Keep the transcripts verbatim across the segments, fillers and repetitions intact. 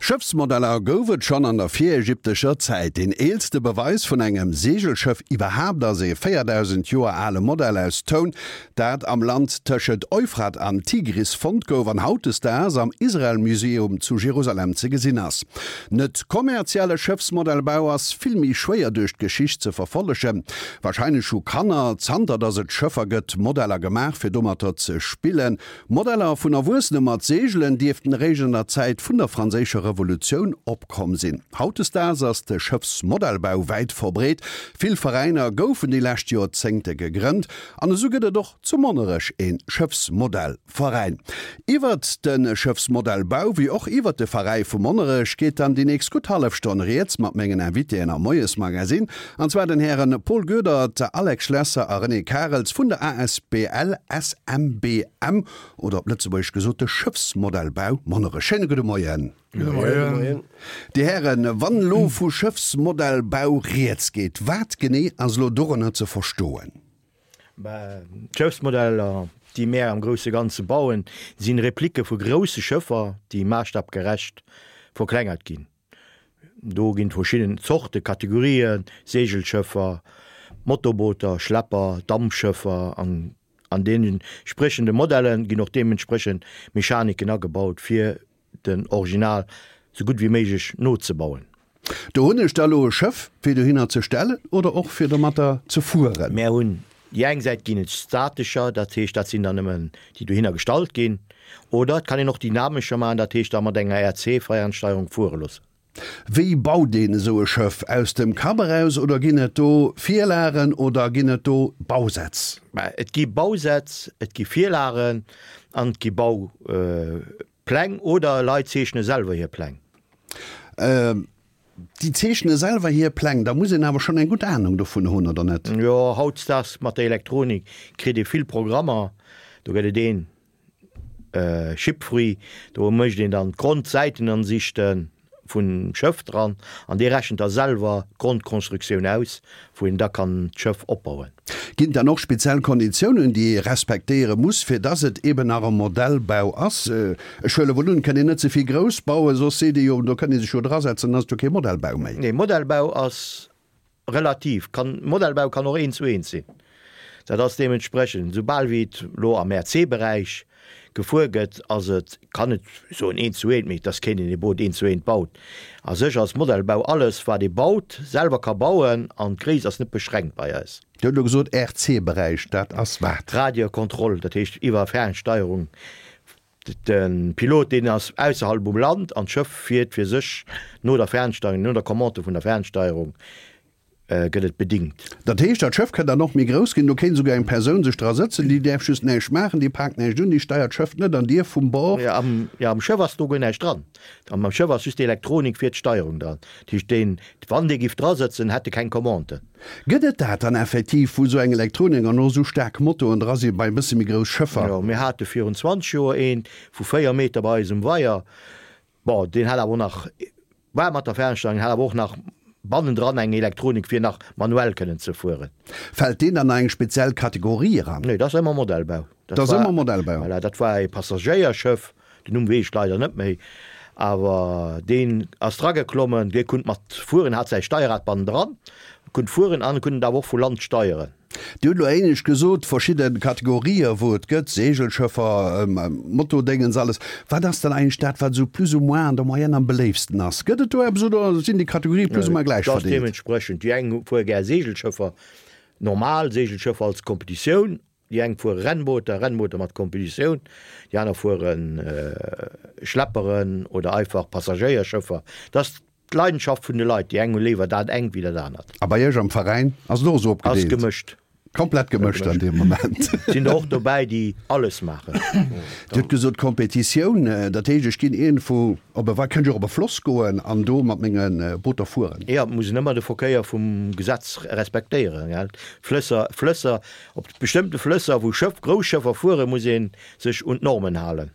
Schëffsmodeller gouf et schonn an der virägyptescher Zäit. Deen eelste Beweis vun engem Seegelschëff iwwerhaapt ass ee véierdausend Joer ale Modell aus Toun, dat am Land tëschent Euphrat an Tigris fonnt gouf an hautdesdaags am Israel Museum zu Jerusalem ze gesinn ass. Net kommerzielle Schëffsmodellbau ass vill méi schwéier duerch d'Geschicht ze verfollegen. Warscheinlech hu Kanner, zanter datt et Schëffer gëtt, Modeller gemaach fir domatter ze spillen. Modeller vun Erwuessene mat Seegelen dierften eréischt an der Zäit vun der franséischer Revolutioun opkomm sinn. Hautdesdaags ass de Schëffsmodellbau wäit verbreet. Vill Veräiner goufen déi lescht Joerzéngte gegrënnt an esou gëtt et och zu Monnerech ee Schëffsmodellveräin. Iwwert de Schëffsmodellbau wéi och iwwert de Veräi vu Monnerech geet dann déi nächst gutt hallef Stonn rieds mat mengen Invitéen am Moiesmagazin, an zwar den Hären Paul Goedert, Alex Schlesser a René Karels vun der asbl S M B M oder op Lëtzebuergesch gesot de Schëffsmodellbau Monnerech. Schéine gudde Moien. Gudde Moien. Dir Hären, wann elo vu Schëffsmodellbau rieds geet, wat genee ass elo dorënner ze verstoen? D'Schëffsmodeller, déi mär am grousse Ganze bauen, sinn Replike vu grousse Schëffer, déi maasstapgerecht verklengert ginn. Do ginn et verschidden Zorte, Kategorien, Seegelschëffer, Motorbooter, Schlepper, Dampschëffer an an deenen entspriechende Modellen ginn och deementsprechend Mechaniken agebaut, fir den Original sou gutt wéi méiglech nozebauen. Do hunn ech da lo e Schëff, fir dohinner ze stellen oder och fir domatter ze fueren? Mär hunn déi eng Säit ginn et statescher, dat heescht dat sinn dann nëmmen déi dohinner gestallt ginn, oder et kann een och dynamescher maachen, dat heescht da mat enger R C-Fernsteierung fuere loossen. Wéi baut een esou e Schëff? Aus dem Kapp eraus oder ginn et do Virlagen oder ginn et do Bausätz? Mä et gi Bausätz, et gi Virlagen an et gi Baupläng oder Leit zeechne selwer hir Pläng. Déi zeechne selwer hir Pläng, da muss een awer schonn eng gutt Anung dovun hunn, oder net? Jo, hautdesdaags mat der Elektronik kritt ee vill Programmer. Do gëtt et een Shipfree, do mécht een dann d'Grondsäitenansichte vum Schëff dran an dee rechent da selwer d'Grondkonstruktioun aus, wou een da kann d'Schëff opbauen. Ginn et dann och speziell Konditiounen, déi ee respektéiere muss, fir dass et eben nach e Modellbau ass? Ech huele wuel un, et kënnt een net ze vill grouss bauen, soss seet ee jo, do kënnt ee sech jo drasetzen, dann ass et jo kee Modellbau méi. Nee, Modellbau ass relativ. Kann, Modellbau kann och eent zu eent sinn. Dat ass deementsprechend, soubal wéi et elo am R C-Beräich gefuer gëtt, ass et, kann et soen eent zu eent, mee et ass keen, deen e Boot eent zu eent baut. A sech ass Modellbau alles, wat ee baut, selwer ka bauen an d'Gréisst ass net beschränkt bei eis. Dir hutt elo gesot R C-Beräich, dat ass wat? Radiokontroll, dat heescht iwwer Fernsteierung. De Pilot, deen ass ausserhalb um Land an d'Schëff fiert fir sech no der Fernsteierung, no der Commande vun der Fernsteierung gëtt et bedingt. Dat heescht, dat Schëff kënnt dann och méi grouss ginn, do kéint esouguer eng Persoun sech dra sëtzen, déi däerf just näischt maachen, déi paakt näischt un, déi steiert d'Schëff net an dierf vum Bord. Jo, am, jo, am Schëff ass do guer näischt dran. Am Schëff ass just d'Elektronik fir d'Steierung dran. Dat heescht, deen, wann dee giff dra sëtzen, hätt e keng Commande. Gëtt et dat dann effektiv, wou esou eng Elektronik an och esou staark Motoren dra si bei e bësse méi grouss Schëffer? Jo, mir hate virun zwanzeg Joer eent vu véier Meter bei eis um Weier. Bon, deen hat awer och nach, war mat der Fernsteierung, hat awer och nach bannendran eng Elektronik, fir nach manuell kënnen ze fueren. Fält deen dann a eng speziell Kategorie eran? Nee, dat ass ëmmer Modellbau. Dat ass ëmmer Modellbau. Voilà, dat war e Passagéierschëff, den Numm weess ech leider net méi, awer deen ass drageklommen, dee kunnt mat fueren, hat säi Steierrad bannendran, kunnt fueren an kunnt et awer och vu Land steieren. Dir hutt elo éinescht gesot, verschidde Kategorië wou et gëtt, Seegelschëffer, Motodéngens, alles. Wat ass dann eigentlech dat, wat esou plus ou moins an der Moyenne am beléiftsten ass? Gëtt et do eppes oder sinn déi Kategorië plus ou moins gläich Dat ass verdeelt? deementsprechend. Déi eng fuere gär Seegelschëffer, normal Seegelschëffer als Kompetitioun, déi eng fuere Rennbooter, Rennbooter mat Kompetitioun, déi aner fuere Schlepperen oder einfach Passagéierschëffer. Dat ass d'Leidenschaft vun de Leit, déi eng hu léiwer dat engt wéi dat anert. A bei Iech am Veräin ass et och esou Ass opgedeelt? gemëscht. Komplett gemëscht an deem Moment. Sinn der och dobäi, déi alles maachen. Dir hutt gesot Kompetitioun, dat heescht ech ginn iergendwou op e, kënnt ech och op e Floss goen an do mat menge Booter fueren? Jo, et muss een ëmmer de Verkéier vum Gesetz respektéieren, gell. Flësser, Flësser, op bestëmmte Flësser, wou Schëff, grouss Schëffer fueren, muss ee sech un d'Normen halen.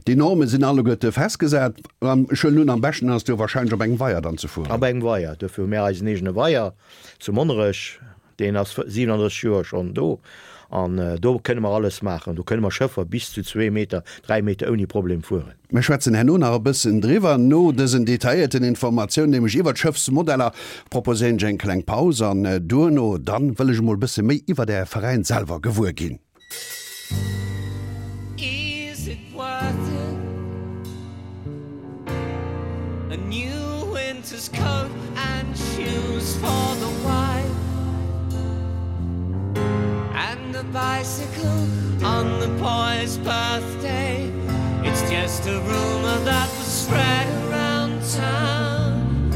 Déi Norme sinn alleguerte festgesat. An ech huelen un, am beschten ass et jo warscheinlech op engem Weier dann ze fueren. Op engem Weier. Duerfir hu mir eisen eegene Weier zu Monnerech. Deen ass siwenandrësseg Joer schonn do An do kënne mer alles maachen. Do kënne mer Schëffer bis zu zwee Meter, dräi Meter ouni Problem fueren. Mir schwätzen herno nach e bëssen driwwer. No dësen detailléierten Informatiounen, nämlech iwwer d'Schëffsmodeller, proposéieren ech eng kleng Paus an duerno dann wëll ech emol e bësse méi iwwer Äre Veräin selwer gewuer ginn. Is it worth it? A new winter's coat and shoes for the wife And a bicycle on the boy's birthday It's just a rumor that was spread around town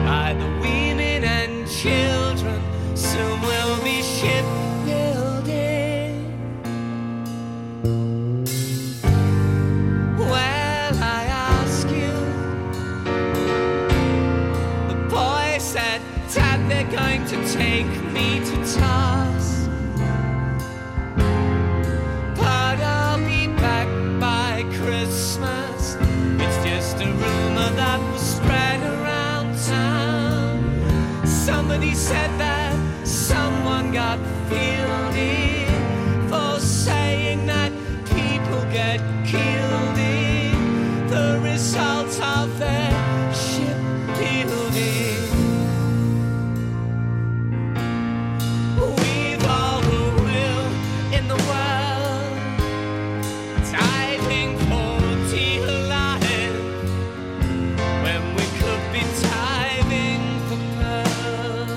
By the women and children Soon we'll be shipbuilding Well, I ask you The boy said, Dad, they're going to take me to task But I'll be back by Christmas It's just a rumor that was spread around town Somebody said that someone got fielded For saying that people get killed in the result of their shipbuilding We've all the will in the world Diving for dear life When we could be diving for pearls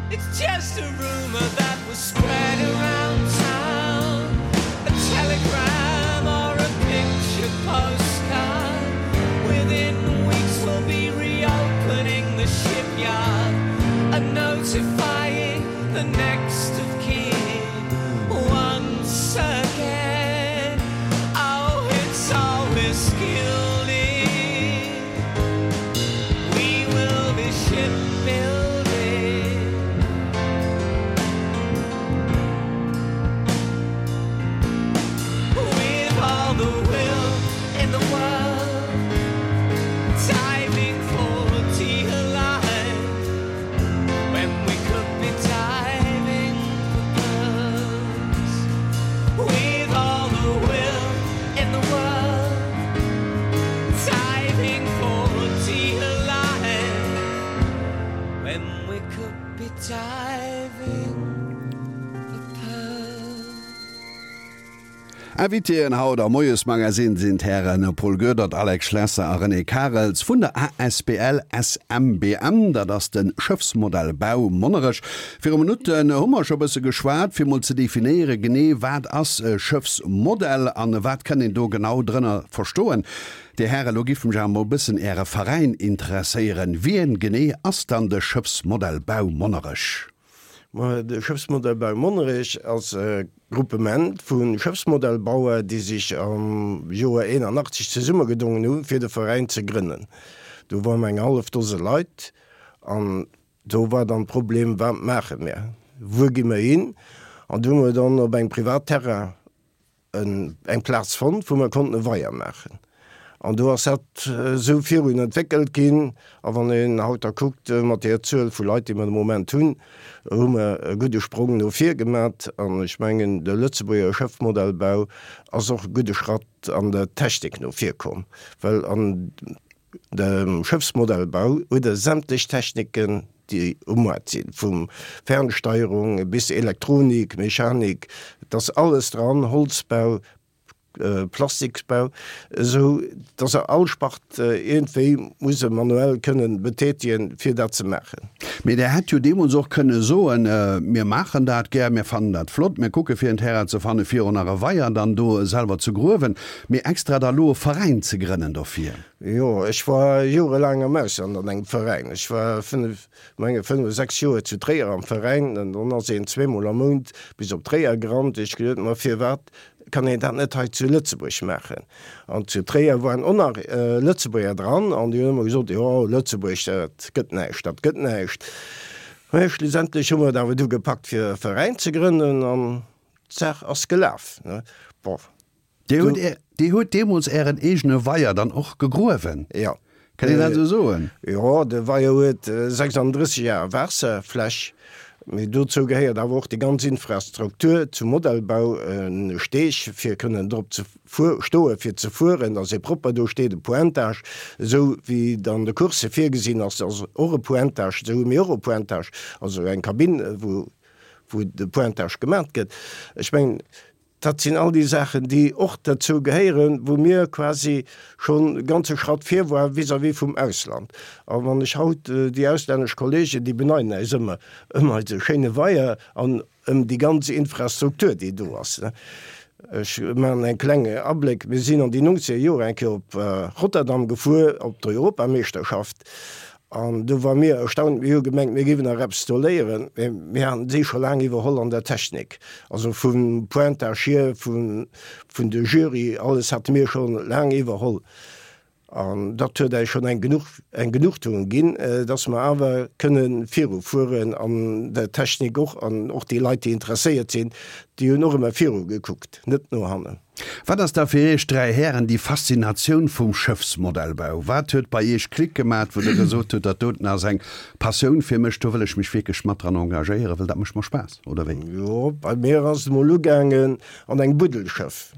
It's just a rumor that was spread around town A telegram or a picture postcard Within weeks we'll be reopening the shipyard And notifying the next of kin Once again Oh, it's always gilded We will be shipbuilding With all the will in the world Diving for dear life When we could be diving for pearls With all the will in the world Diving for dear life When we could be diving for pearls Invitéen haut am Moiesmagazin sinn d'Hären Paul Goedert, Alex Schlesser a René Karels vun der asbl S M B M, dat ass de Schëffsmodellbau Monnerech. Viru Minutten hu mer scho bësse geschwat, fir mol ze definéiere genee wat ass e Schëffsmodell an wat kann een do genau drënner verstoen. Dir Hären, lo giff mech awer mol bëssen Äre Veräin interesséieren. Wien genee ass dann de Schëffsmodellbau Monnerech? Ma de Schëffsmodellbau Monnerech ass e Gruppement vu Schëffsmodellbauer, déi sech am Joer eenanachtzeg zesummegedongen hunn, fir de Veräin ze grënnen. Do ware mer eng hallef Dose Leit an do war dann d'Problem, Wat maache mir? Wuer gi mer hin? An do hu mer dann op engem Privatterrain eng Plaz fonnt, wou mer konnten e Weier maachen. An do ass dat esou virun entwéckelt ginn. A wann een haut da kuckt, mat deeër Zuel vu Leit, déi mer de Moment hunn, hu mer e gudde Sprong no vir gemat. An ech mengen, de Lëtzebuerger Schëffmodellbau ass och e gudde Schratt an der Technik no vir komm, well an dem Schëffsmodellbau huet e sämtlech Techniken, déi um Moart sinn, vu Fernsteierung bis Elektronik, Mechanik, et ass alles dran, Holzbau, Plastiksbau, esou dass se all Spart iergendwéi musse manuell kënnen betätigen, fir dat ze maachen. Mee Der hätt jo deemools och kënne soen, Mir maachen dat gär, mir fannen dat flott, mir kucke fir en Terrain ze fanne fir och nach e Weier dann do selwer ze gruewen, mee extra da lo e Veräin ze grënnen dofir. Jo, ech war jorelaang am Ausland an engem Veräin. Ech war fënnef, menge fënnef, sechs Joer zu Tréier am Veräin an dann ass een zweemol am Mount bis op Tréier gerannt. Ech gesot, ma firwat kann een dat net hei zu Lëtzebuerg maachen? An zu Tréier waren och nach Lëtzebuerger dran an déi hunn ëmmer gesot, jo, Lëtzebuerg, dat gëtt näischt, dat gëtt näischt. Mä schlussendlech hu mer et awer du gepackt fir e Veräin ze grënnen an d'Saach ass gelaf. Bon, Dir hutt, Dir hutt deemools Ären eegene Weier dann och gegruewen? Jo. Kann een dat esou soen? Jo, de Weier huet sechsanddrësseg Ar Waasserfläch, mee dozou gehéiert awer och déi ganz Infrastruktur zum Modellbau, e Steg fir kënnen drop ze stoe fir ze fueren, dass ee propper do steet, e Pointage, esou wéi et an de Coursse virgesinn ass, ass och e Pointage, esou hu mir och e Pointage, also eng Kabinn, wou wou de Pointage gemat gëtt. Ech mengen, Dat sinn all déi Saachen, déi och derzou gehéieren, wou mir quasi schonn e ganze Schratt vir waren vis-à-vis vum Ausland. A wann ech haut déi auslännesch Kollegen, déi beneiden äis ëmmer ëm eise schéine Weier an ëm déi ganz Infrastruktur, déi do ass. Ech maachen eng kleng Abléck, Mir sinn an déi nongzeger Joer eng Kéier op Rotterdam gefuer op d'Europameeschterschaft An do ware mir erstaunt, mir hu gemengt, mir géiwen nach eppes do léieren, mä mir haten si scho laang iwwerholl an der Technik, also vum Pointage hier, vun de Jury, alles hate mir scho laang iwwerholl. An dat huet äis schonn eng genuch, eng Genugtuung ginn, dass mer awer kënne virufueren an der Technik och. An och déi Leit, déi interesséiert sinn, déi hunn och ëmmer viru gekuckt, net no hannen. Wat ass da fir Iech dräi Hären déi Faszinatioun vum Schëffsmodellbau? Wat huet bei Iech Klick gemat, wou Der gesot hutt, dat doten ass eng Passioun fir mech, do wëll ech mech wierklech mat dran engagéieren, well dat mécht mer Spaass, oder wéi? Jo, bei mir ass et emol ugaangen an engem Buddelschëff.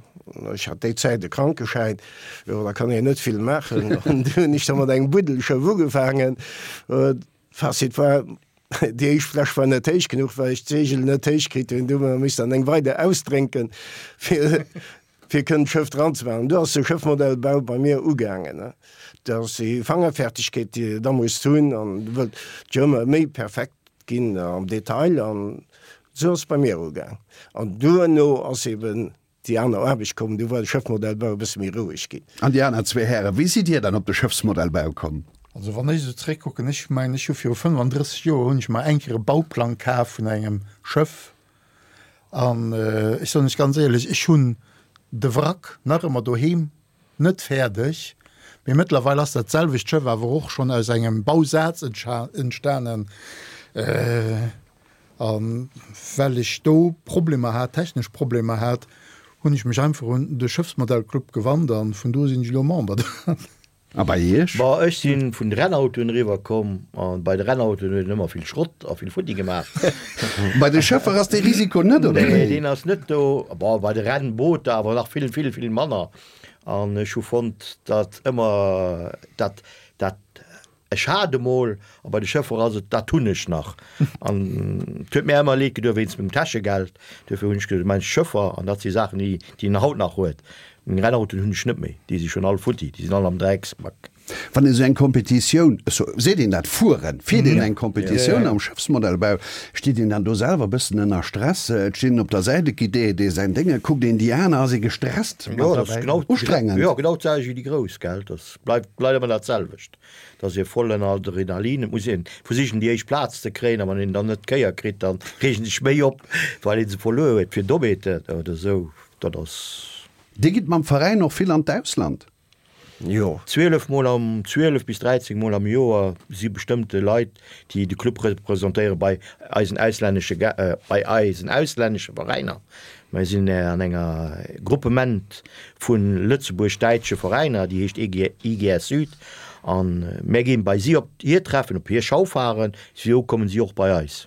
Ech hat déi Zäit e Krankeschäin, jo, da kann een net vill maachen. An du hunn ech da mat engem Buddelschëff ugefaangen. Fazit war, Déi éischt Fläsch war net héich genuch, well ech d'Seegel net héich kritt hunn. Du hu mer missten eng weider ausdrénken, fir fir kënnen d'Schëff dran ze maachen. Du ass de Schëffmodellbau bei mir ugaangen. Dat ass déi Fangerfertigkeet, déi de da muss hunn an du wëllt jo ëmmer méi perfekt ginn am Detail an esou ass et bei mir ugaang. An duerno ass eben Déi aner Aarbecht komm, du war de Schëffmodellbau e bësse méi roueg ginn. An déi aner zwee Hären, wéi sidd Dir dann op de Schëffsmodellbau komm? Also wann ech esou zeréckkucken, ech mengen ech hu viru fënnfandrësseg Joer hunn ech mer eng Kéier e Bauplang kaf vun engem Schëff an ech soen lech ganz éierlech, ech hunn de Wrack nach ëmmer doheem, net fäerdeg, mee mëttlerweil ass dat selwecht Schëff awer och schonn aus engem Bausaz entstanen. A well ech do Problemer hat, technesch Problemer hat, hunn ech mech einfach un de Schëffsmodellclub gewannt a vun do sinn ech elo Member. A bei Iech? Bon, ech si vun de Rennautoen eriwwer komm a bei de Rennautoen huet een ëmmer vill Schrott a vill futti gemaach. Bei de Schëffer ass dee Risiko net, oder Nee, wéi? deen ass net do. Bon, bei de Rennbooter awer nach vill, vill, vill manner. An ech hu fonnt, datt ëmmer dat, dat Ech hat emol, a bei de Schëffer ass et, dat hunn ech nach. An et huet mär ëmmer leed gedoen wéinst mengem Täschegeld. Duerfir hunn ech gesot, ech maachen Schëffer, an dat si Saachen, déi déi een haut nach huet. Meng Rennautoen hunn ech net méi, déi si schonn all futti, déi sinn all am Drecksbac. Wann een esou eng Competitioun, esou seet een dat, fueren, fiert een eng Competitioun am Schëffsmodellbau, steet een dann do selwer e bëssen ënner Stress? Et steet een op der Säit, et geet dee dee säin Dénge, kuckt een déi aner, ass ee gestresst Jo, mat dat ass derbäi? genau, Ustrengend? jo, genau d'selwecht wéi déi Grouss, gell, dat bleift bleift ëmmer dat selwecht. Et ass ee voll ënner Adrenalin, et muss een versichen déi éischt Plaz ze kréien a wann een dann net d'Kéier kritt, dann reegt een sech méi op, well ee se verluer huet fir Dommheeten oder esou. Dat ass. Dir gitt mam Veräin och vill an d'Ausland? Jo. Zwielef mol am, zwielef bis dräizéng mol am Joer si bestëmmte Leit, déi de Club representéiere bei eisen auslännesche, bei eisen auslännesche Veräiner. Mir sinn an enger Gruppement vu lëtzebuerg-däitsche Veräiner, déi heescht I G S Süd, a mir ginn bei si op hir Treffen, op hir Schaufahren, esou kommen si och bei eis.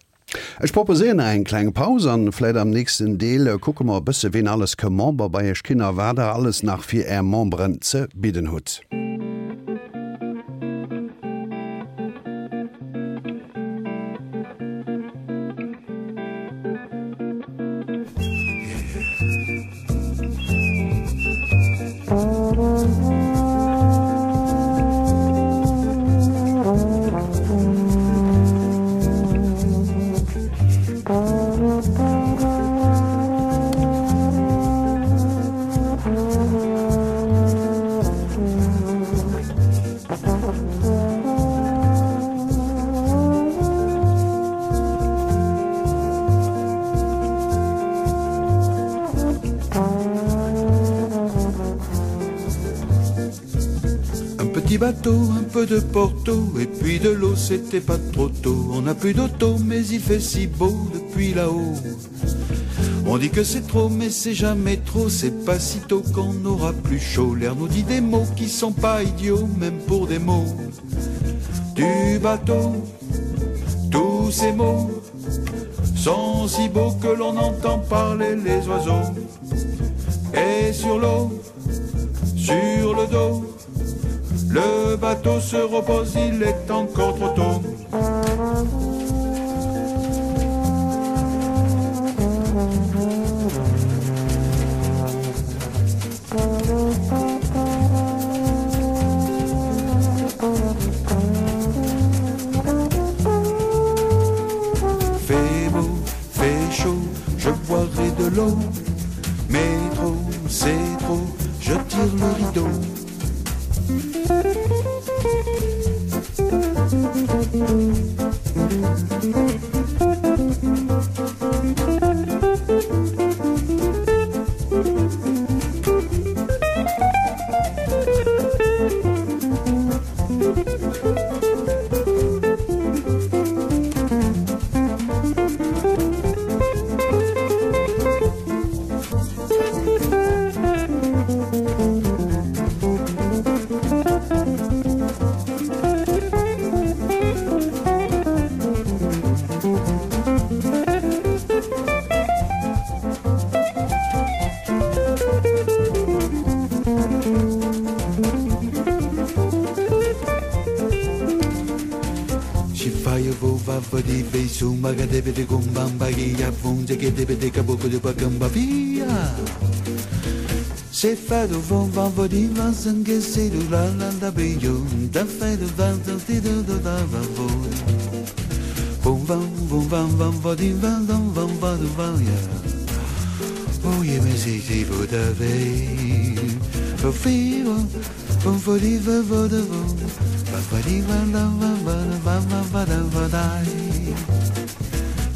Ech proposéieren nach eng kleng Paus an vläit am nächsten Deel kucke mer e bësse ween alles ke Member bei iech ginn a wat der alles nach fir är Memberen ze bidden hutt. bateau, un peu de Porto et puis de l'eau, c'était pas trop tôt. On n'a plus d'auto, mais il fait si beau depuis là-haut. On dit que c'est trop, mais c'est jamais trop, c'est pas si tôt qu'on aura plus chaud. L'air nous dit des mots qui sont pas idiots, même pour des mots. Du bateau, tous ces mots sont si beaux que l'on entend parler les oiseaux. Et sur l'eau, sur le dos, le bateau se repose, il est encore trop tôt. Fait beau, fait chaud, je boirai de l'eau, mais trop, c'est trop, je tire le rideau.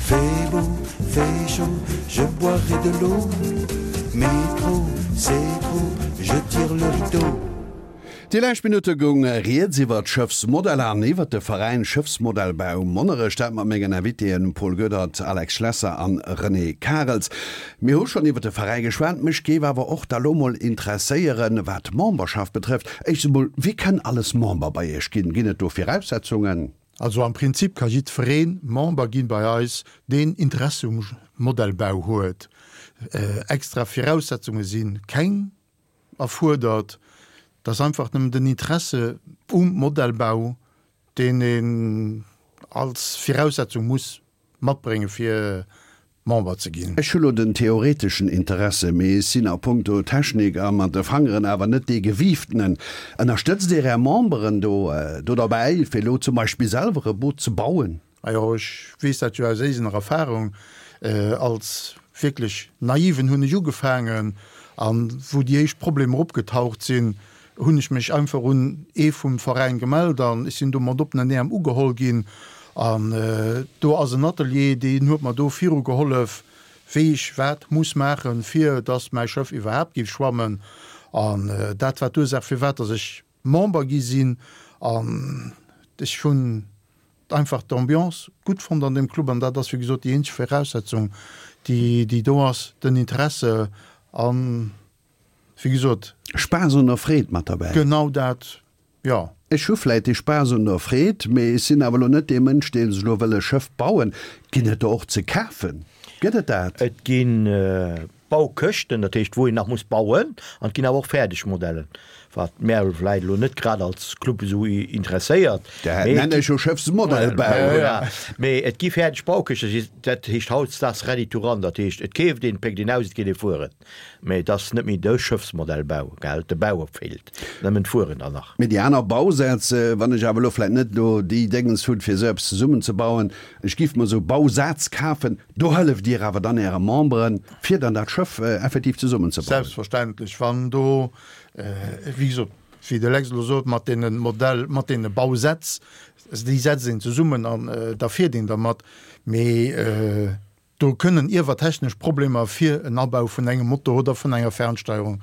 Fait beau, fait chaud, je boirai de l'eau, mais trop, c'est trop, je tire le rideau. Déi lescht Minutte goung Rieds iwwer d'Schëffsmodeller an iwwer de Veräin Schëffsmodellbau Monnerech, dat mat mengen Invitéen Paul Goedert, Alex Schlesser an René Karels. Mir hu schonn iwwer de Veräi geschwat, mech géif awer och da lo mol interesséieren, wat d'Memberschaft betrëfft. Éischt emol, Wie kann alles Member bei Iech ginn? Ginn et do Viraussetzungen? Also am Prinzip ka jiddweree Member ginn bei eis, deen Interesse um Modellbau huet. Extra Viraussetzunge si keng erfuerdert, et ass einfach nëmmen den Interesse um Modellbau, deen een als Viraussetzung muss matbréngen, fir Member ze ginn. Ech hu lo den theoreteschen Interesse, mee ech sinn a punkto Technik a mat de Fangeren awer net dee Gewiiftenen. Ënnerstëtzt Dir Är Memberen do do derbäi, fir elo zum Beispill selwer e Boot ze bauen? Majo, ech weess dat jo aus eegener Erfahrung. Als wierklech Naiven hunn ech ugefaangen, an wou déi éischt Problemer opgetaucht sinn, hunn ech mech einfach un ee vum Veräin gemellt an ech sinn do mat oppenen Äerm ugeholl ginn. An do ass en Atelier, deen huet mer do viru gehollef, wéi ech wat muss maachen, fir dass mäi Schëff iwwerhaapt géif schwammen. An dat war d'Ursaach, firwat dass ech Member gi sinn. An ech hunn einfach d'Ambiance gutt fonnt an deem Club. An dat ass, wéi gesot, déi eenzeg Viraussetzung, déi, déi do ass, den Interesse an, wéi gesot. Spaass un der Freed mat derbäi. Genau dat, jo. Ech hu vläit dee Spaass un der Freed, mee ech sinn awer elo net dee Mënsch, dee sech elo wëll e Schëff bauen. Ginn et der och ze kafen? Gëtt et dat? Et gi Baukëschten, dat heescht wou een nach muss bauen, an et ginn awer och fäerdeg Modellen, wat mär vläit elo net grad als Club esou interesséiert. Dat nennen ech jo Schëffsmodellbau. Voilà. Mee et gi fäerdeg Baukëschten, dat heescht hautdesdaags ready to run, dat heescht et keeft een, et péckt een aus, et geet ee fueren. Mee et ass net méi de Schëffsmodellbau, gell, de Bau feelt, nëmmen d'Fueren dann nach. Mee déi aner Bausätz, wann ech awer elo vläit net elo déi Déngens hunn, fir esou eppes zesummenzebauen, ech giff mer esou Bausaz kafen, do hëlleft Dir awer dann Äre Memberen, fir dann dat Schëff effektiv zesummenzebauen? Selbstverständlech, wann do, wéi gesot, wéi de Lex elo sot, mat deene Modell, mat deene Bausätz, déi setzt een zesummen an da fiert een dermat. Mee. Do kënnen iewer technesch Problemer fir en Abau vun engem Motor oder vun enger Fernsteierung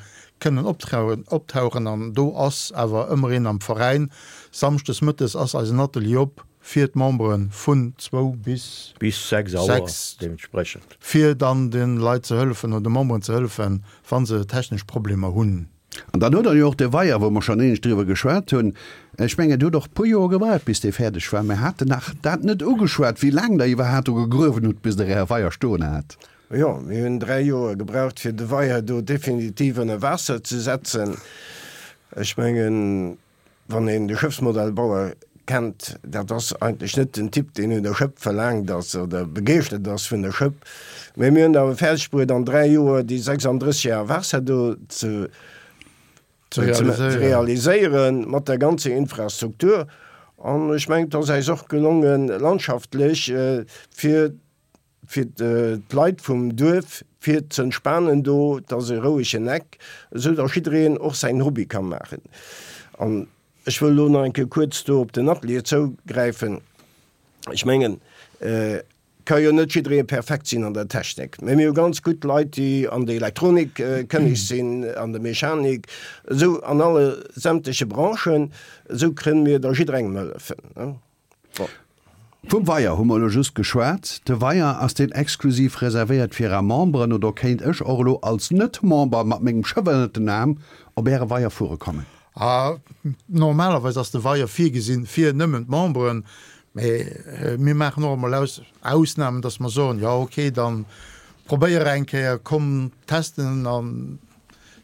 kënnen optauchen an do ass awer ëmmer een am Veräin. Samschdes mëttes ass eisen Atelier op fir d'Membere vun zwou bis Bis sechs Auer deementsprechend. Fir dann de Leit ze hëllefen oder de Memberen ze hëllefen, wa se technesch Problemer hunn. An dann hutt Der jo och de Weier, wou mer schonn éinescht driwwer geschwat hunn. Ech mengen, et huet och e puer Joer gebraucht, bis dee fäerdeg war. Mir haten nach dat net ugeschwat, wéi laang Der iwwerhaapt do gegruewen hutt, bis Der Äre Weier stoen hat. Jo, mir hunn dräi Joer gebraucht, fir de Weier do definitiv ënner Waasser ze setzen. Ech mengen, wann een de Schëffsmodellbauer kennt, dat ass eigentlech net den Typ, deen un der Schëpp verlaangt ass oder begeeschtert ass vun der Schëpp. Mä mir hunn et awer fäerdeg bruet, an dräi Joer déi sechsunddrësseg Ar Waasser do ze ze realiséieren mat der ganzer Infrastruktur. An ech mengen, et ass eis och gelongen, landschaftlech fir fir d'Leit vum Duerf fir z'entspanen do, et ass e rouegen Eck, esou datt jiddereen och säin Hobby ka maachen. An ech wëll elo nach eng Kéier kuerz do op den Atelier zougräifen. Ech mengen, et ka jo net jidderee perfekt sinn an der Technik, mä mir hu ganz gutt Leit, déi an der Elektronik kënneg sinn, an der Mechanik, esou an alle sämtleche Branchen, esou kënne mir da jidderengem hëllefen. Bon. Vum Weier hu mer elo just geschwat. De Weier, ass deen exklusiv reservéiert fir Är Memberen oder kéint ech och elo als Net-Member mat mengem Schëff ënnert den Aarm op Äre Weier fuere kommen? A Normalerweis ass de Weier virgesinn fir nëmmen d'Memberen, mee mir maachen och emol Ausnamen, dass mer soen, jo ok, da probéier eng Kéier, komm testen an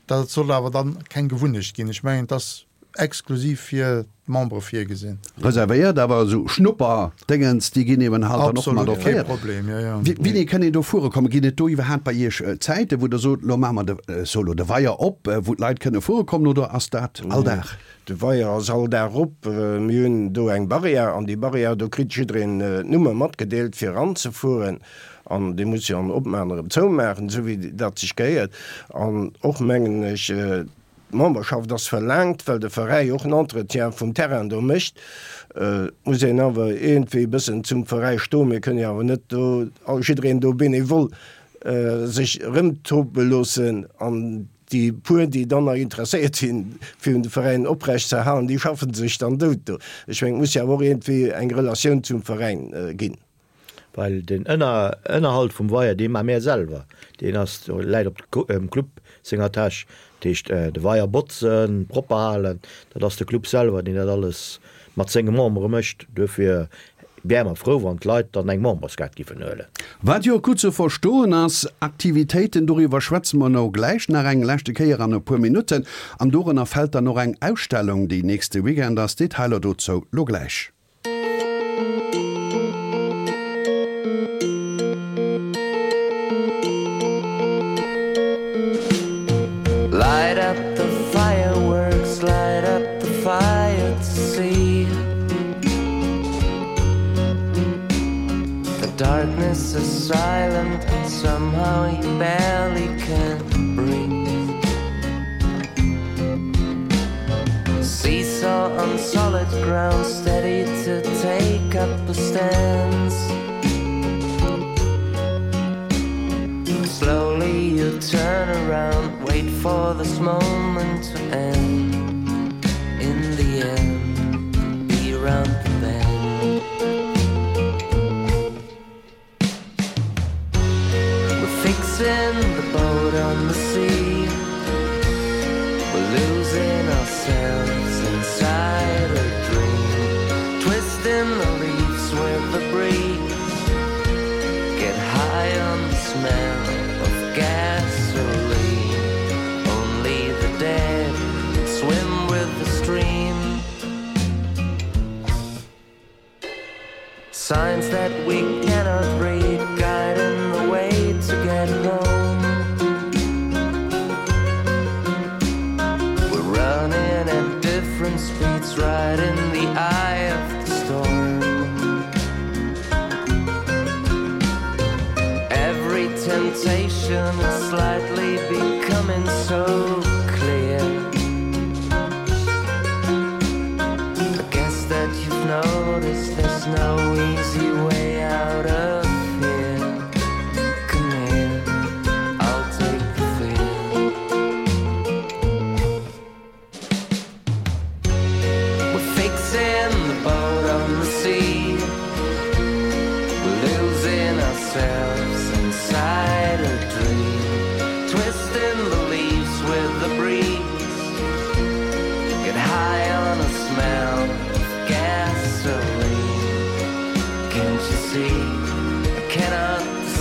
dat soll awer dann keng Gewunnecht ginn. Ech mengen, et ass exklusiv fir d'Membere virgesinn. Reservéiert, awer esou Schnupper-Déngens, déi ginn eben halt dann och mat Absolut, kee offréiert. Problem, jo, jo. Wéini kënn een do fuere kommen? Ginn et do iwwerhaapt bei Iech Zäiten, wou Der sot, elo maache mer de, ech soe lo, de Weier op, wou d'Leit kënne fuere kommen, oder ass dat all Dag? De Weier ass all Dag op. Mir hunn do eng Barrière, an déi Barrière, do kritt jiddereen d'Nummer matgedeelt, fir eranzefueren. An dee muss jo an opmaachen, erëm zoumaachen, esou wéi dat sech gehéiert. An och, mengen ech, D'Memberschaft ass verlaangt, well de Veräi och en Entretien vum Terrain do mécht. Et muss een awer iergendwéi e bëssen zum Veräi stoen. Mir kënnen jo awer net do jiddereen do bénévol sech erëmtope loossen. An déi puer, déi dann nach interesséiert sinn, fir de Veräin oprecht ze erhalen, déi schaffe sech dann dout do. Ech mengen, et muss jo awer och iergendwéi eng Relatioun zum Veräin ginn. Well den Ënnerhalt vum Weier, dee maache mär selwer, deen ass, läit op dem Club senger Täsch. Dat heescht, de Weier botzen, propper halen, dat ass de Club selwer, deen dat alles mat senge Membere mécht. Duerfir wäre mer frou, wann d'Leit dann eng Memberskaart giffen huelen. Wat jo och gutt ze verstoen ass. Aktivitéiten, doriwwer schwätze mer elo gläich nach eng leschte Kéier an e puer Minutten. An dorënner fält dann och eng Ausstellung, déi nächste Weekend ass. Detailer dozou lo gläich. Light up the fireworks, light up the fire to see The darkness is silent and somehow you barely can breathe Seesaw on solid ground, steady to take up a stance Slowly you turn around, wait for this moment to end In the end, be round the bend We're fixing the boat on the sea We're losing ourselves inside a dream Twisting the leaves with the breeze Get high on the smell of gasoline Only the dead swim with the stream Signs that we cannot read guiding the way to get home We're running at different speeds right in the eye of the storm Every temptation is slightly becoming so clear I guess that you've noticed there's no easy way out of here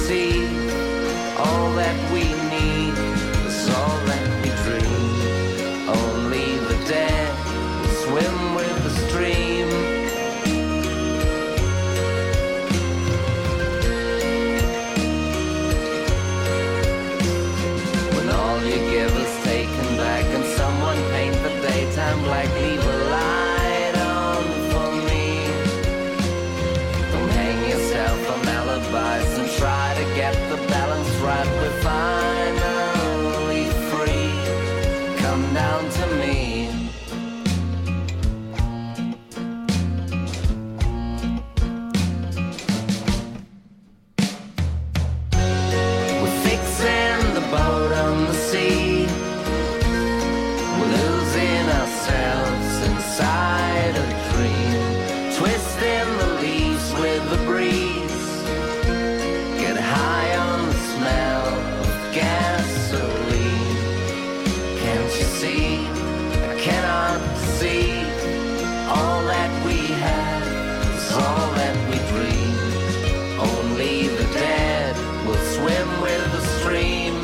see? All that we need is all that we dream. Only the dead will swim with the stream. When all you give is taken back and someone paint the daytime black, leave a light on for me. Don't hang yourself on alibis and try to get the balance right. We're finally free. Come down to me. We're fixing the boat on the sea. We're losing ourselves inside a dream. Twisting the leaves with the breeze. Get high on the smell of gasoline. Can't you see? I cannot see. All that we have is all that we dream. Only the dead will swim with the stream.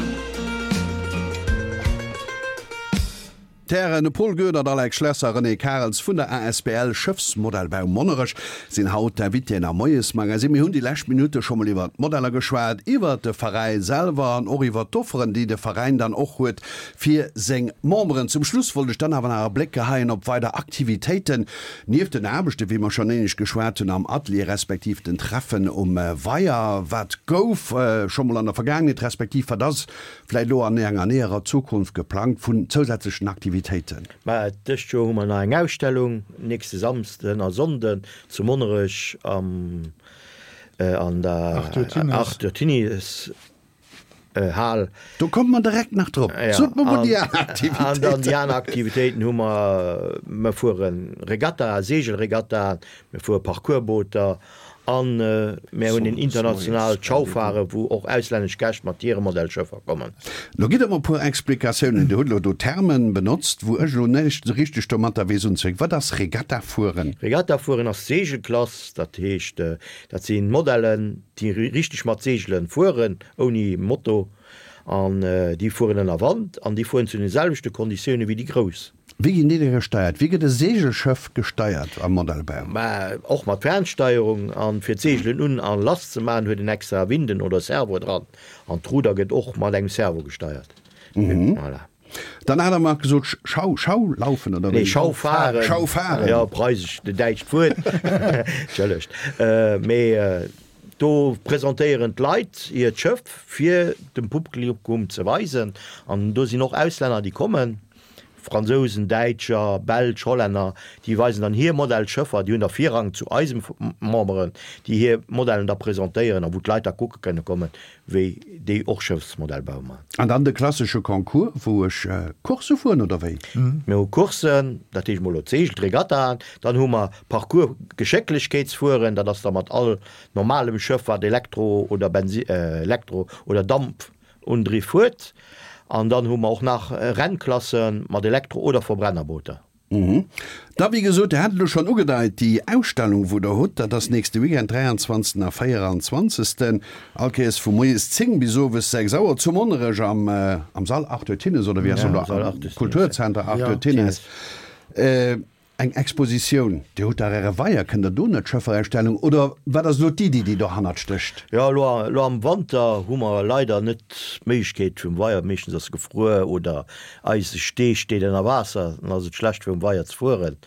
D'Hären Paul Goedert, Alex Schlesser, René Karels vun der asbl Schëffsmodellbau Monnerech sinn haut d'Invitéen am Moiesmagazin. Mir hunn déi lescht Minutte scho mol iwwert d'Modeller geschwat, iwwert de Veräi selwer an och iwwert d'Offeren, déi de Veräin dann och huet fir seng Memberen. Zum Schluss wollt ech dann awer nach e Bléck geheien op weider Aktivitéiten nieft den Aarbechten, wéi mer schonn éinescht geschwat hunn, am Atelier respektiv den Treffen um Weier. Wat gouf scho mol an der Vergaangenheet respektiv wat ass vläicht elo an enger näherer Zukunft geplangt vun zousätzlechen Aktivitéiten? Mä dëst Joer hu mer nach eng Ausstellung, nächste Samsden a Sonnden zu Monnerech am an der Arthur Tinies Hal. Do komme mer direkt nach drop. Sot mer mol déi aner Aktivitéiten. An dann déi aner Aktivitéiten hu mer, mer fuere Regatta, Seegelregattaen, mer fuere Parcoursbooter an mer hunn en internationaalt Schaufahren, wou och auslännesch Gäscht mat hire Modellschëffer kommen. Lo gitt der mer e puer Explikatiounen. Dir hutt elo do Termen benotzt, wou ech elo näischt esou richteg domatter weess unzefänken. Wat ass Regatta fueren? Regatta fueren ass Seegelklass, dat heescht, dat si Modellen, déi richteg mat Seegele fueren, ouni Moto, an déi fueren ënner Wand an déi fueren zu den selwechte Konditioune wéi déi grouss. Wéi ginn déi da gesteiert? Wéi gëtt e Seegelschëff gesteiert am Modellbau? Mä och mat Fernsteierung. An fir d'Seegelen un a lass ze maachen, huet en extra Winden oder Servo dran. An d'Ruder gëtt och mat engem Servo gesteiert. Voilà. Dann hat Der mer gesot, Schau, Schau laufen, oder wéi? Nee, Schau fahren. Schau fahren. Jo, preisesch, däitscht Wuert. Entschëllegt. Mee do presentéieren d'Leit hiert Schëff, fir dem Publikum ze weisen. An do sinn och Auslänner, déi kommen. Fransousen, Däitscher, Belsch, Hollänner, déi weisen dann hir Modellschëffer, déi hunn da Virrang zu eise Memberen, déi hir Modellen da presentéieren a wou d'Leit da kucke kënne kommen, wéi déi och Schëffsmodellbau maachen. An dann de klassesche Concours, wou ech Coursse fueren, oder wéi? Mir hu Courssen, dat heescht mol elo d'Seegel, d'Regattaen, dann hu mer Parcours Geschécklechkeetsfueren, dat ass da mat all normalem Schëff, wat Elektro oder Bensi, Elektro oder Dampundriff huet. An dann hu mer och nach Rennklasse mat Elektro oder Verbrennerbooter. Da wéi gesot, Dir hat et elo schonn ugedeit, déi Ausstellung wou Der hutt, dat ass nächste Weekend, dräianzwanzegsten a véieranzwanzegsten, all Kéiers vu moies zéng bis owes sechs Auer zu Monnerech am am Sall Arthur Thinnes, oder wéi ass en elo, Kulturzenter Arthur Thinnes. Eng Expositioun, Dir hutt dach Äre Weier, kënnt Der do net d'Schëfferausstellung, oder wat ass elo d'Iddi, déi dohannert stécht? Jo, elo elo am Wanter hu mer leider net d'Méiglechkeet vum Weier, meeschtens ass e gefruer oder eise Stee steet ënner Waasser, dann ass et schlecht fir um Weier ze fueren.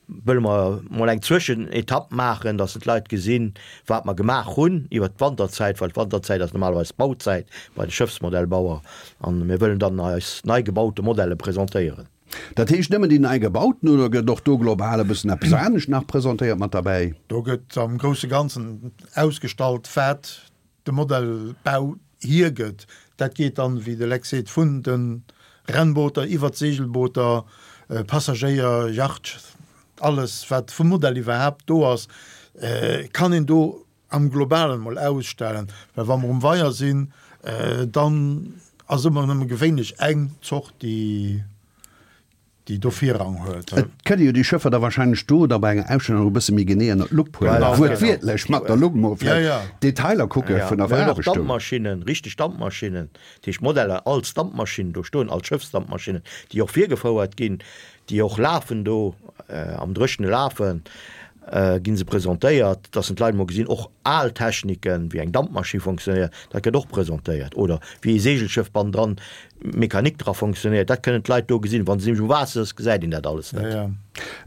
Wëlle mer mol eng Zwëschenetapp maachen, dass d'Leit gesinn, wat mer gemaach hunn iwwert d'Wanterzäit, well d'Wanterzäit ass normalerweis d'Bauzäit bei de Schëffsmodellbauer an mir wëllen dann eis nei gebaute Modelle presentéieren. Dat heescht nëmmen déi nei gebauten oder gëtt och do global e bëssen eppes anescht nach presentéiert mat derbäi? Do gëtt am grousse Ganzen ausgestallt, wat de Modellbau hiergëtt. Dat geet dann, wéi de Lex seet, vun de Rennbooter iwwert d'Seegelbooter, Passagéier, Yacht, alles wat vum Modell iwwerhaapt do ass, kann een do am Globalen mol ausstellen. Well wa mer um Weier sinn, dann ass ëmmer nëmme gewéinlech eng Zort, déi déi do Virrang huet. Et kënne jo déi Schëffer da wahrscheinlech do da bei enger Ausstellung nach e bësse méi genee ënner d'Lupp huelen, Voilà, wuertwiertlech mat der Lupp mol Ja, vläicht ja. Detailer kucke Ja, vun der mir hunn och Veraarbechtung. Dampmaschinnen, richteg Dampmaschinnen, dat heescht Modeller als Dampmaschinnen do stoen, als Schëffsdampmaschinnen, déi och virgefouert ginn, déi och lafen do, am Dréchene lafen, ginn se presentéiert, dass en d'Leit mol gesinn, och al Techniken, wéi eng Dampmaschinn fonctionnéiert, dat gëtt och presentéiert, oder wéi ee Segelschëff bannendran, d'Mechanik dra fonctionnéiert, dat kënnen d'Leit do gesinn. Wa se nämlech um Waasser ass, gesäit een dat alles net. Ja,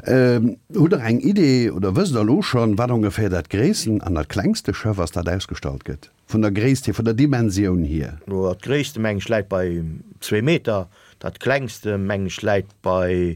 ja. Hutt Der eng Idee oder wësst Der elo schonn, wat ongeféier dat gréissten an dat klengste Schëff ass, dat ausgestallt gëtt, vun der Gréisst hier, vun der Dimensioun hier? No, dat gréisste, meng ech, läit bei zwee Meter, dat klengste, meng ech, läit bei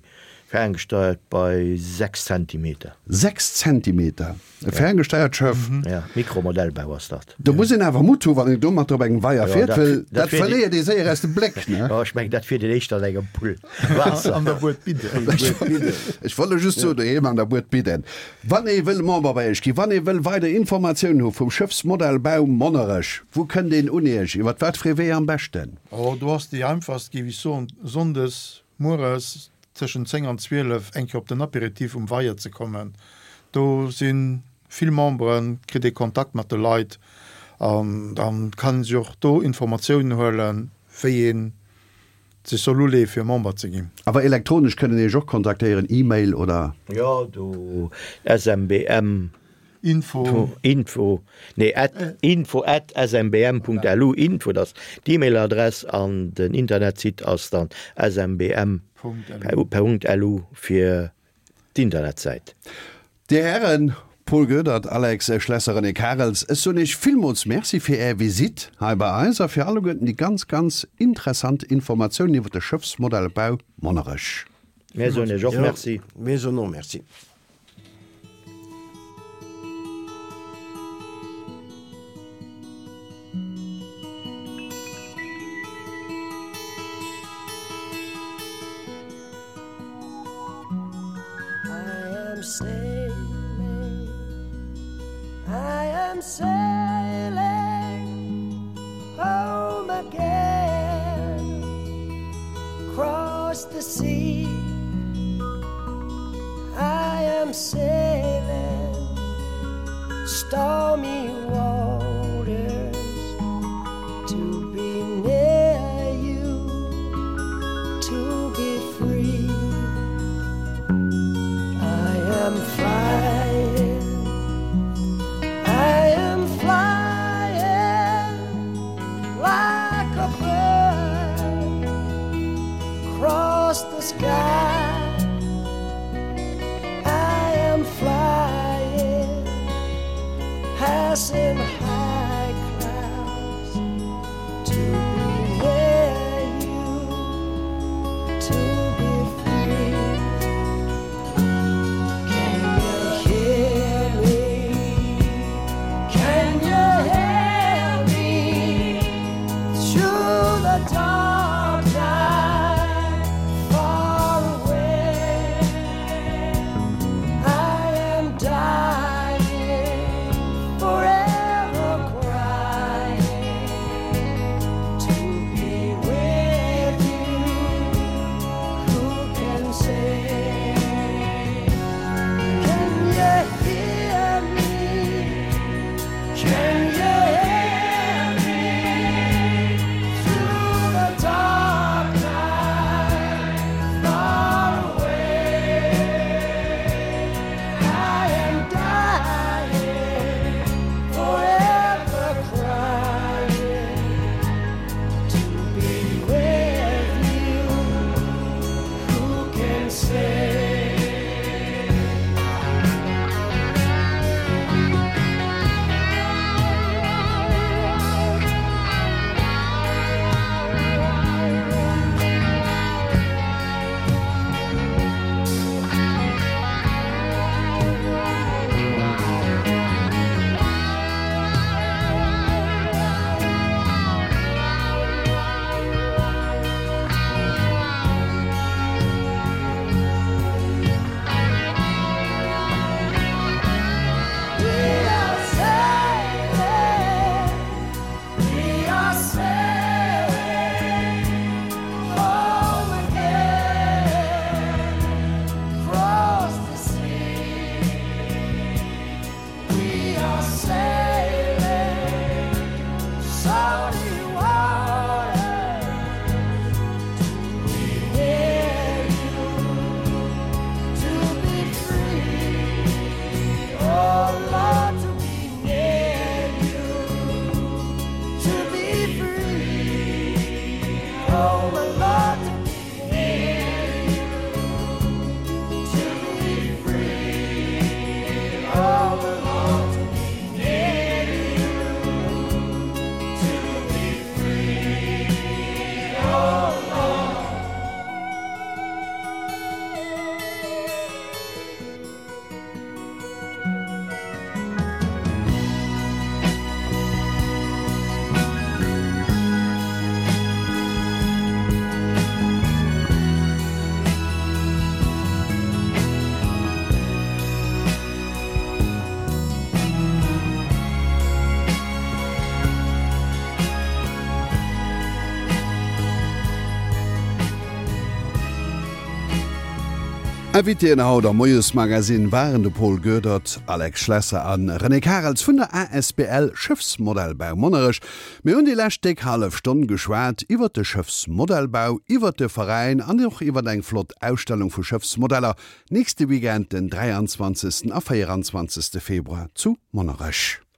Ferngesteuert bei sechs Zentimeter. Sechs Zentimeter? E ferngesteiert Schëff? Ja, Mikromodellbau ass dat. Do muss een awer Mutt hu wann een domatter op engem Weier Jo, fiert, dat, well dat dat fiert verléiert ee séier aus dem Bléck, ne? Jo, ech mengen, dat fiert een éischter an engem Pull Waasser. An der Buet Bidden. Ech wollt elo just soen, doheem an der Buet Bidden. Wann ee wëll Member bei iech ginn, wann ee wëll weider Informatiounen hu vum Schëffsmodellbau Monnerech, wou kënnt een un iech? Iwwer wat fir ee Wee am beschten? Oh, do ass déi einfachst, géif ech soen, sonndes mueres tëschent zéng an zwielef eng Kéier op den Apéritif um Weier ze kommen. Do si vill Memberen, kritt ee Kontakt mat de Leit an da kann ee sech och do Informatiounen huelen, wéi ee sech soll uleeë fir Member ze ginn. Awer elektronesch kënnen Iech och kontaktéieren, E-Mail oder? Jo, do smbm. Info. Info, nee, at, info at smbm.lu, info, dat ass d'E-Mail-Adress an den Internetsite ass dann smbm.lu fir d'Internetsäit. Dir Hären Paul Goedert, Alex Schlesser, René Karels, ech soen Iech villmools Merci fir Är Visitt hei bei eis a fir alleguerten déi ganz, ganz interessant Informatiounen iwwer de Schëffsmodellbau Monnerech. Mir soen Iech och Merci. Mir soen och Merci. I am sailing, I am sailing home again, 'cross the sea. I am sailing stormy waters to be near you, to be free. I am flying, I am flying like a bird 'cross the sky. I am Salty water to be near you, to be free. Oh Lord, to be near you, to be free. Oh my Lord, to be near you, to be free. Oh my Lord, to be near you, to be free. Oh Lord. Invitéen haut am Moiesmagazin waren de Paul Goedert, Alex Schlesser an René Karels vun der A S B L Schëffsmodellbau Monnerech. Mir hunn déi lescht déck hallef Stonn geschwat iwwer de Schëffsmodellbau, iwwer de Veräin an och iwwer eng flott Ausstellung vu Schëffsmodeller nächste Weekend den dräianzwanzegsten a véieranzwanzegste Februar zu Monnerech.